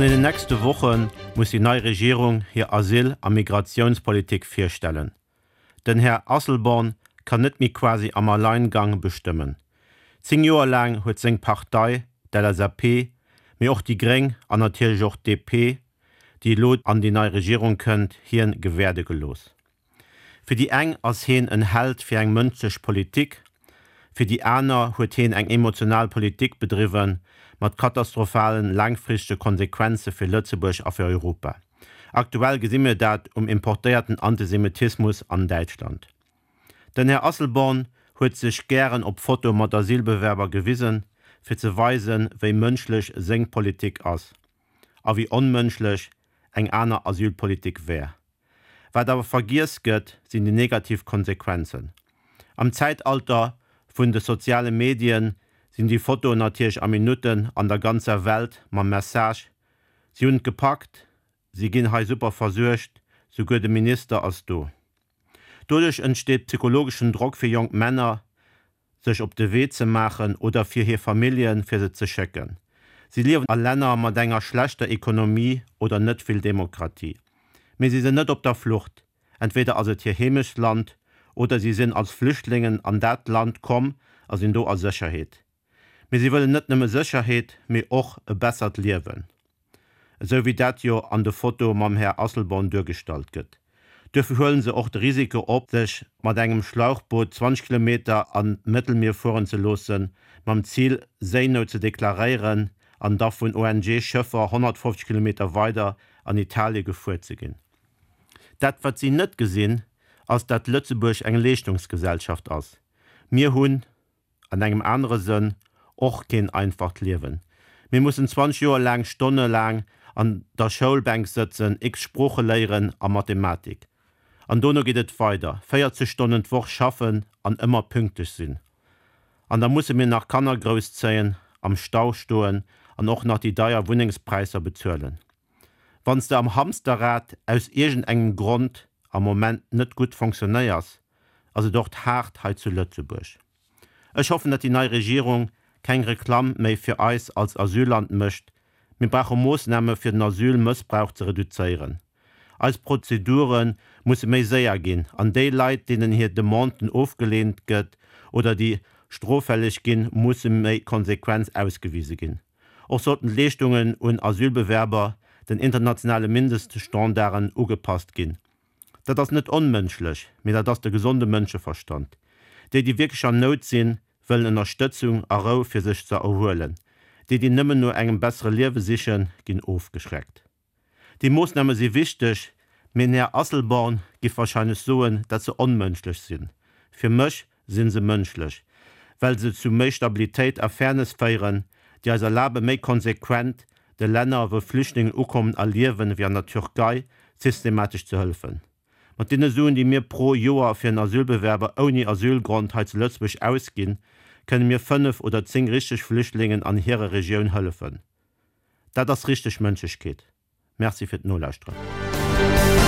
deenen nächste Woche muss déi nei Regierung hir Asyl a Migratiounspolitik virstellen. Den Här Asselborn kann net méi quasi am Alleingang bestëmmen. 10 Joer laang huet seng Partei, d'LSAP, mee och déi Gréng an natierlech och d'DP, déi elo an déi nei Regierung kënnt, hien gewäerde gelooss. Fir déi eng ass heen en Held fir eng mënschlech Politik, fir déi aner huet heen eng emotional Politik bedriwwen mat katastrophalen laangfristege Konsequenze fir Lëtzebuerg a fir Europa. Aktuell gesi mir dat um importéierten Antisemitismus an Däitschland. Den Här Asselborn huet sech gären op Fotoe mat Asylbewerber gewisen, fir ze weisen, wéi mënschlech seng Politik ass a wéi onmënschlech eng aner Asylpolitik wär. Wat awer vergiess gëtt, sinn déi negativ Konsequenzen. Am Zäitalter vun de soziale Medien sinn déi Fotoen natierlech a Minutten an der ganzer Welt mam Message, Si hunn et gepackt, si ginn hei super versuergt, souguer de Minister ass do. Doduerch entsteet psychologeschen Drock fir jonk Männer, sech op de Wee ze maachen oder fir hir Familljen, fir se ze schécken. Si liewen a Länner mat enger schlechter Ekonomie oder net vill Demokratie. Mee si sinn net op der Flucht, entweder ass et hir Heemechtsland oder si sinn als Flüchtlingen an dat Land komm a sinn do a Sécherheet. Mee si wëllen net nëmme Sécherheet, mee och e bessert Liewen. Esou wéi dat jo an de Fotoe mam Här Asselborn duergestallt gëtt. Duerfir huelen se och de Risiko op, sech mat engem Schlauchboot 20 Kilometer an d'Mëttelmier fueren ze loossen, mam Zil Séinout ze deklaréieren an da vun ONG-Schëffer 150 Kilometer weider an Italie gefuer ze ginn. Dat wat si net gesinn, ass dat Lëtzebuerg eng Leeschtungsgesellschaft ass. Mir hunn. an engem anere Sënn, och keen einfacht Liewen. Mir mussen 20 Joer laang stonnelaang an der Schoulbänk sëtzen, x Sprooche léieren a Mathematik. An dono geet et weider, 40 Stonnen d'Woch schaffen an ëmmer pünktlech sinn. An da musse mir nach Kanner grousszéien, am Stau stoen an och nach déi deier Wunnengspräisser bezuelen. Wann s de am Hamsterrad aus iergendengem Grond am Moment net gutt fonctionnéiers, ass et och haart hei zu Lëtzebuerg. Ech hoffen, datt déi nei Regierung keng Reklamm méi fir eis als Asylland mécht. Mir brauche Moossname fir den Asylmëssbrauch ze reduzéieren. Eis Prozedure musse méi séier ginn an déi Leit, deenen hir Demanden ofgeleent gëtt oder déi stroffälleg ginn, musse méi konsequent ausgewise ginn. Och sollten d'Leeschtungen un Asylbewerber den internationale Mindeststandarden ugepasst ginn. Dat ass net onmënschlech, mee dat ass de gesonde Mënscheverstand. Déi, déi wierklech an Nout sinn, wëllen Ënnerstëtzung a Rou fir sech ze erhuelen. Déi, déi nëmmen no engem bessere Liewe sichen, ginn ofgeschreckt. Déi Moossname si wichteg, mee den Här Asselborn giff wahrscheinlech soen, dat se onmënschlech sinn. Fir mech sinn se mënschlech, well se zu méi Stabilitéit a Fairness féieren, déi eis erlabe méi konsequent de Länner, wou Flüchtlingen ukommen a liewen, wéi an der Türkei, systematesch ze hëllefen. Mat deene Suen, déi mir pro Joer fir en Asylbewerber ouni Asylgrond hei zu Lëtzebuerg ausginn, kënne mir 5 oder 10 richteg Flüchtlingen an hirer Regioun hëllefen. Dat ass richteg Mënschlechkeet. Merci fir d'Nolauschteren.